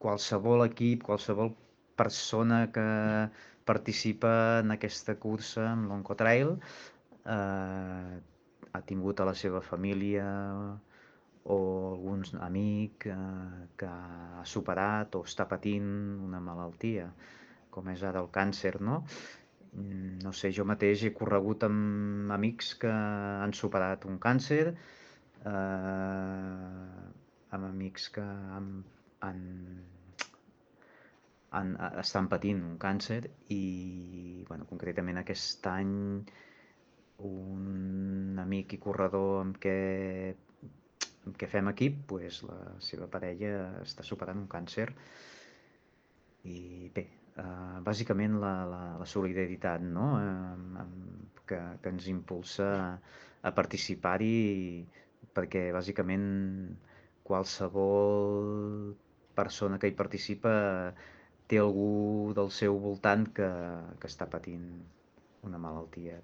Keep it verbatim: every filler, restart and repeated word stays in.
qualsevol equip, qualsevol persona que participa en aquesta cursa amb l'Oncotrail eh, ha tingut a la seva família o algun amic eh, que ha superat o està patint una malaltia, com és ara el càncer, no? Mm, No sé, jo mateix he corregut amb amics que han superat un càncer, eh, amb amics que han, han, han, estan patint un càncer i, bueno, concretament aquest any un amic i corredor amb què, amb què fem equip, pues, la seva parella està superant un càncer i bé, eh, bàsicament la, la, la solidaritat, no? Eh, amb, que, que ens impulsa a participar-hi perquè bàsicament qualsevol persona que hi participa té algú del seu voltant que, que està patint una malaltia